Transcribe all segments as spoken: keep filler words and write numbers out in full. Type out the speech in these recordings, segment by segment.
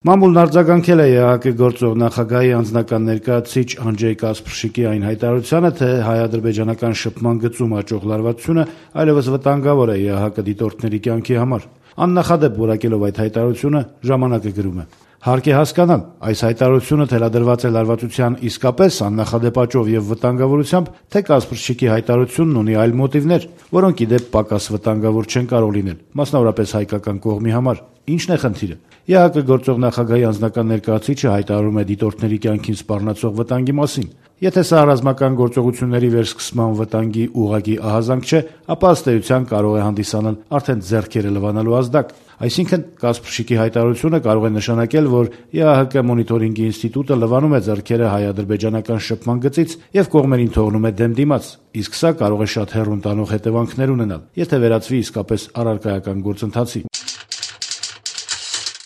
Մամուլն արձագանքել է ԵԱՀԿ գործող նախագահի անձնական ներկայացուցիչ Անջեյ Կասպրշիկի այն հայտարարությանը, թե հայ-ադրբեջանական շփման գծում աճող լարվածությունը այլևս վտանգավոր է ԵԱՀԿ դիտորդների կյանքի համար։ Աննախադեպ որակելով այդ հայտարարությունը, «Ժամանակ»-ը գրում է. «Հարկ է հասկանալ, այս հայտարարությունը թելադրված է լարվածության իսկապես աննախադեպ աճով եւ վտանգավորությամբ, թե Կասպրշիկի հայտարարությունն ունի այլ մոտիվներ, որոնք ի դեպ պակաս վտանգավոր չեն կարող լինել, մասնավորապես հայկական կողմի համար։ Ի՞նչն է խնդիրը։ ԵԱՀԿ գործող նախագահի անձնական ներկայացուցիչը հայտարարում է դիտորդների կյանքին սպառնացող վտանգի մասին։ Եթե սա ռազմական գործողությունների վերսկսման վտանգի ուղղակի ահազանգ չէ, ապա ըստ էության կարող է հանդիսանալ արդեն ձեռքերը լվանալու ազդակ։ Այսինքն, Կասպրշիկի հայտարարությունը կարող է նշանակել, որ ԵԱՀԿ մոնիտորինգի ինստիտուտը լվանում է ձեռքերը հայ-ադրբեջանական շփման գծից եւ կողմերին թողնում է դեմ դիմաց, իսկ սա կարող է շատ հեռուն տանող հետևանքներ ունենալ, եթե վերածվի իսկապես առարկայական գործընթացի»։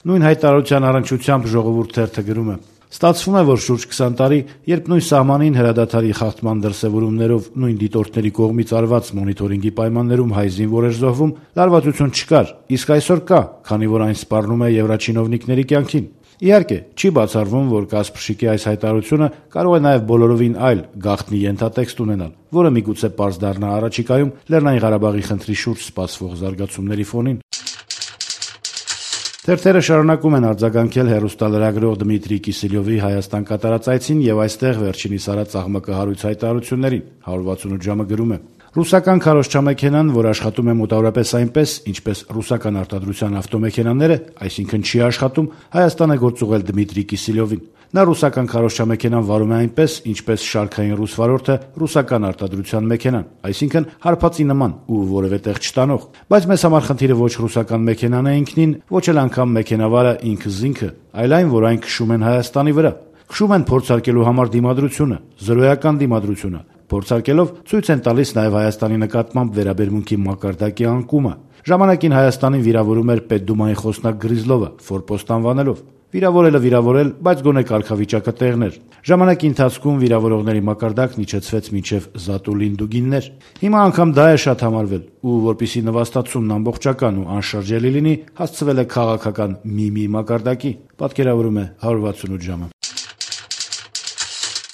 Նույն հայտարարության առնչությամբ «Ժողովուրդ» թերթը գրում է. «Ստացվում է, որ շուրջ քսան տարի, երբ նույն սահմանին հրադադարի խախտման դրսևորումներով նույն դիտորդների կողմից արված մոնիտորինգի պայմաններում հայ զինվոր էր զոհվում, լարվածություն չկար, իսկ այսօր կա, քանի որ այն սպառնում է եվրաչինովնիկների կյանքին։ Իհարկե, չի բացառվում, որ Կասպրշիկի այս հայտարարությունը կարող է նաև բոլորովին այլ գաղտնի ենթատեքստ ունենալ, որը միգուցե պարզ դառնա առաջիկայում Լեռնային Ղարաբաղի խնդրի շուրջ սպասվող զարգացումների ֆոնին»։ Թերթերը շարունակում են արձագանքել հեռուստալրագրող Դմիտրի Կիսելյովի Հայաստան կատարած այցին եւ այստեղ վերջինիս արած աղմկահարույց հայտարարություններին։ հարյուր վաթսունութ ժամը գրում է. «Ռուսական քարոզչամեքենան, որ աշխատում է մոտավորապես այնպես, ինչպես ռուսական արտադրության ավտոմեքենաները, այսինքն չի աշխատում, Հայաստան է գործուղել Դմիտրի Կիսելյովին։ Նա ռուսական քարոզչամեքենան վարում է այնպես, ինչպես շարքային ռուս վարորդը ռուսական արտադրության մեքենան, այսինքն հարբածի նման ու որևէ տեղ չտանող։ Բայց մեզ համար խնդիրը ոչ ռուսական մեքենան է ինքնին, ոչ էլ անգամ մեքենավարը ինքը զինքը, այլ այն, որ այն քշում են Հայաստանի վրա։ Քշում են փորձարկելու համար դիմադրությունը, զրոյական դիմադրությունը։ Փորձարկելով ցույց են տալիս նաև Հայաստանի նկատմամբ վերաբերմունքի մակարդակի անկումը։ Ժամանակին Հայաստանին վիրավորում էր Պետդումայի խոսնակ Գրիզլովը, ֆորպոստ անվանելով։ Վիրավորելը վիրավորել, բայց գոնե կարգավիճակը տեղներ։ Ժամանակի ընթացքում վիրավորողների մակարդակն իջեցվեց մինչև Զատուլին Դուգիններ։ Հիմա անգամ դա է շատ համարվել, ու որպիսի նվաստացումն ամբողջական ու անշրջելի լինի, հասցվել է քաղաքական մի-մի մակարդակի», պատկերավորում է հարյուր վաթսունութ ժամը։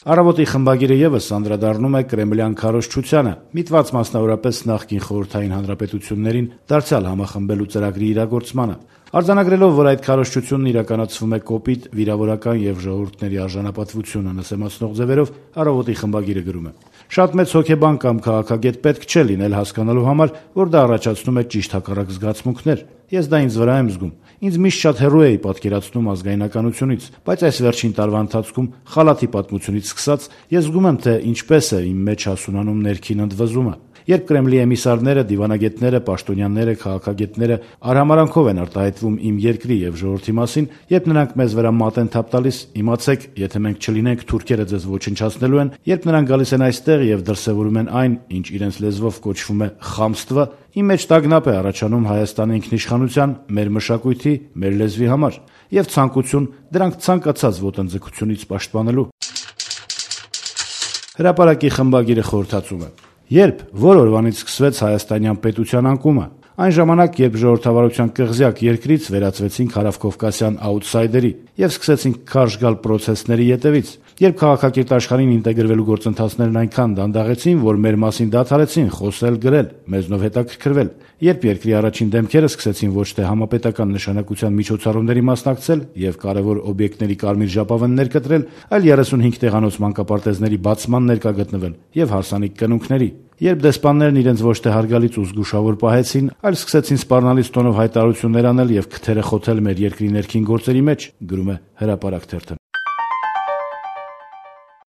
Առավոտի խմբագիրը եւս անդրադառնում է կրեմլյան քարոզչությանը, միտված մասնավորապես նախկին խորհրդային հանրապետություններին դարձյալ համախմբելու ծրագրի իրագործմանը։ Արձանագրելով, որ այդ քարոզչությունն իրականացվում է կոպիտ, վիրավորական եւ ժողովուրդների արժանապատվությունը նսեմացնող ձևերով, Առավոտի խմբագիրը գրում է. «Շատ մեծ հոգեբան կամ քաղաքագետ պետք չէ լինել հասկանալու համար, որ դա առաջացնում է ճիշտ հակառակ զգացմունքներ։ Ես դա ինձ վրա եմ զգում։ Ինձ միշտ շատ հեռու էի պատկերացնում ազգայնականությունից, բայց այս վերջին տարվա ընթացքում խալաթի պատմությունից սկսած ես զգում եմ, թե ինչպես է իմ մեջ հասունանում ներքին ընդվզումը։ Երբ Կրեմլի էմիսարները, դիվանագետները, պաշտոնյաները, քաղաքագետները արհամարանքով են արտահայտվում իմ երկրի եւ ժողովրդի մասին, երբ նրանք մեզ վրա մատ են թափ տալիս, իմացեք, եթե մենք չլինենք, թուրքերը ձեզ ոչնչացնելու են, երբ նրանք գալիս են այստեղ եւ դրսեւորում են այն, ինչ իրենց լեզվով կոչվում է խամստվը, իմ մեջ տագնապ է առաջանում Հայաստանի ինքնիշխանության, մեր մշակույթի, մեր լեզվի համար եւ ցանկություն դրանք ցանկացած ոտնձգությունից պաշտպանելու»։ Հրապարակի խմբագիրը խորհրդածում է. «Երբ, որ օրվանից սկսվեց հայաստանյան պետության անկումը, այն ժամանակ, երբ ժողովրդավարության կղզյակ երկրից վերածվեցինք հարավկովկասյան աուտսայդերի եւ սկսեցինք քարշ գալ պրոցեսների ետևից, երբ քաղաքակիրթ աշխարհին ինտեգրվելու գործընթացներն այնքան դանդաղեցին, որ մեր մասին դադարեցին խոսել, գրել, մեզնով հետաքրքրվել, երբ երկրի առաջին դեմքերը սկսեցին ոչ թե համապետական նշանակության միջոցառումների մասնակցել եւ կարեւոր օբյեկտների կարմիր ժապավեններ կտրել, այլ երեսունհինգ տեղանոց մանկապարտեզների բացման ներկա գտնվել եւ հարսանիք կնունքների, երբ դեսպաններն իրենց ոչ թե հարգալից ու զգուշավոր պահեցին, այլ սկսեցին սպառնալից տոնով հայտարարություններ անել եւ քթերը խոթել մեր երկրի ներքին գործերի մեջ», գրում է Հրապարակ թերթը։